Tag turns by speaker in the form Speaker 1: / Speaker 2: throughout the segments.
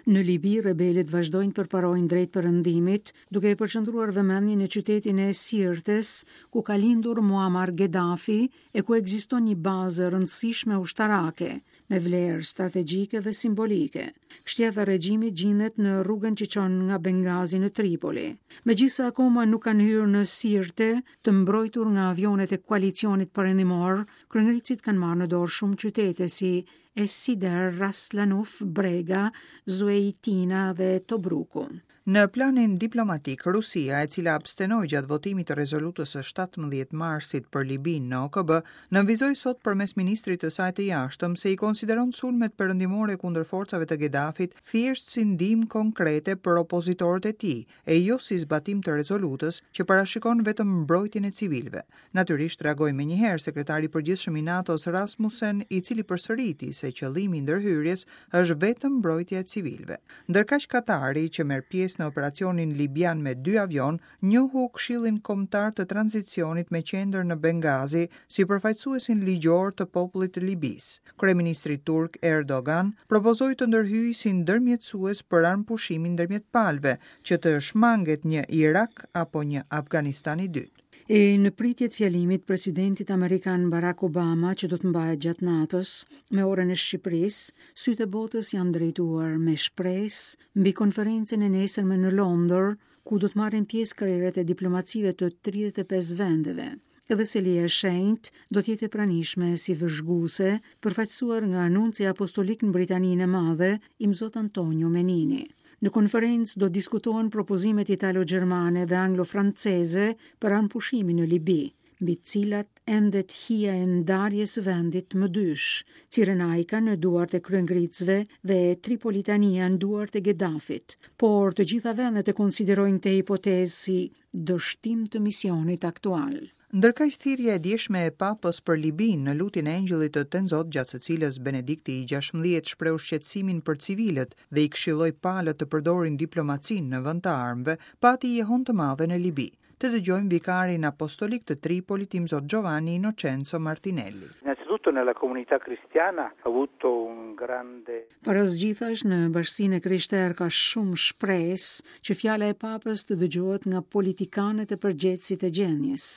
Speaker 1: Në Libi, rebelët vazhdojnë të përparojnë drejt perëndimit, duke e përqendruar vëmendjen në qytetin e Sirtes, ku ka lindur Muammar Gaddafi e ku ekziston një bazë e rëndësishme ushtarake, me vlerë strategjike dhe simbolike. Kështjella e regjimit gjindet në rrugën që çon nga Bengazi në Tripoli. Megjithëse akoma nuk kanë hyrë në Sirte, të mbrojtur nga avionet e koalicionit perëndimor, kryengritësit kanë marrë në dorë shumë qytete si Es Sider, Ras Lanuf, Brega, Zueitina dhe Tobruku.
Speaker 2: Në planin diplomatik, Rusia, e cila abstenoi gjatë votimit të rezolutës së 17 marsit për Libinë në OKB, nënvizoi sot përmes ministrit të saj të jashtëm se i konsideron sulmet perëndimore kundër forcave të Gedafit thjesht si ndihmë konkrete për opozitorët e tij, e jo si zbatim të rezolutës që parashikon vetëm mbrojtjen e civilëve. Natyrisht reagoi menjëherë sekretari i përgjithshëm i NATO-s Rasmussen, i cili përsëriti se qëllimi i ndërhyrjes është vetëm mbrojtja e civilëve. Ndërkaq Katari, që merr pjesë në operacionin libian me dy avionë, njohu Këshillin Kombëtar të Tranzicionit me qendër në Bengazi si përfaqësuesin ligjor të popullit të Libisë. Kryeministri turk Erdogan propozoi të ndërhyjë si ndërmjetësues për armëpushimin ndërmjet palëve, që të shmanget një Irak apo një Afganistan i dytë.
Speaker 1: E në pritje të fjalimit presidentit amerikan Barack Obama që do të mbahet gjatë natës me orën e Shqipërisë, sytë e botës janë drejtuar me shpresë mbi konferencën e nesërme në Londër, ku do të marrin pjesë krerët e diplomacive të 35 vendeve. Edhe Selia e Shenjtë do të jetë e pranishme si vëzhguese, përfaqësuar nga nunci apostolik në Britaninë e Madhe, Imzot Antonio Menini. Në konferencë do të diskutohen propozimet italo-gjermane dhe anglo-franceze për armëpushimin në Libi, mbi të cilat endet hija e ndarjes së vendit më dysh, Cirenajka në duart e kryengritësve dhe Tripolitania në duart e Gedafit. Por të gjitha vendet e konsiderojnë këtë hipotezë si dështim të misionit aktual.
Speaker 2: Ndërkaq thirrja e djeshme e Papës për Libinë në lutjen e Engjëllit të Tenzot gjatë së cilës Benedikti i XVI shprehu shqetësimin për civilët dhe i këshilloi palët të përdorin diplomacinë në vend të armëve, pati jehonë të madhe në Libi. Të dëgjojmë vikarin apostolik të Tripolit Imzot Giovanni Innocenzo Martinelli.
Speaker 3: Innanzitutto nella comunità cristiana ha avuto un grande
Speaker 1: Para së gjithash në bashkësinë e krishterë ka shumë shpresë që fjala e Papës të dëgjohet nga politikanët e përgjegjësit e gjendjes.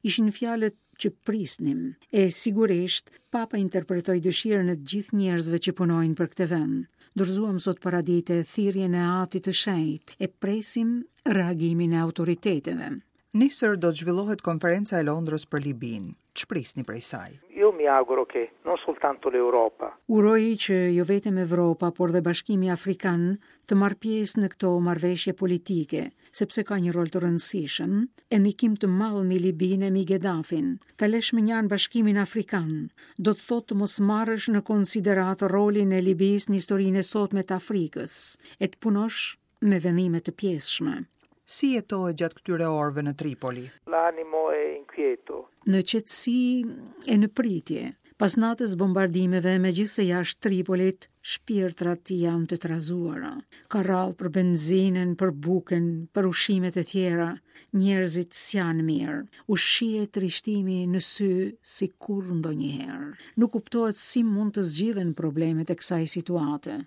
Speaker 1: Ishin fjalët që prisnim. E sigurisht, Papa interpretoi dëshirën e të gjithë njerëzve që punojnë për këtë vend. Dorëzuam sot paradite thirrjen e Atit të Shenjtë e presim reagimin e autoriteteve.
Speaker 2: Nesër do të zhvillohet konferenca e Londrës për Libinë. Ç'prisni prej saj?
Speaker 3: Io mi auguro che non soltanto l'Europa.
Speaker 1: Uroj që jo vetëm Evropa, por dhe Bashkimi Afrikan të marrë pjesë në këto marrëveshje politike, sepse ka një rol të rëndësishëm e ndikim të madh mbi Libinë e mbi Gedafin. Ta lësh mënjanë Bashkimin Afrikan, do të thotë të mos marrësh në konsideratë rolin e Libisë në historinë e sotme të Afrikës, e të punosh me vendime të pjesshme.
Speaker 2: Si jetohet gjatë këtyre orëve në Tripoli?
Speaker 3: L'animo è inquieto.
Speaker 1: Në qetësi e në pritje. Pas natës bombardimeve, megjithëse jashtë Tripolit, shpirtrat janë të trazuara. Ka radhë për benzinën, për bukën, për ushqimet e tjera. Njerëzit s'janë mirë. U shihet trishtimi në sy si kurrë ndonjëherë. Nuk kuptohet si mund të zgjidhen problemet e kësaj situate.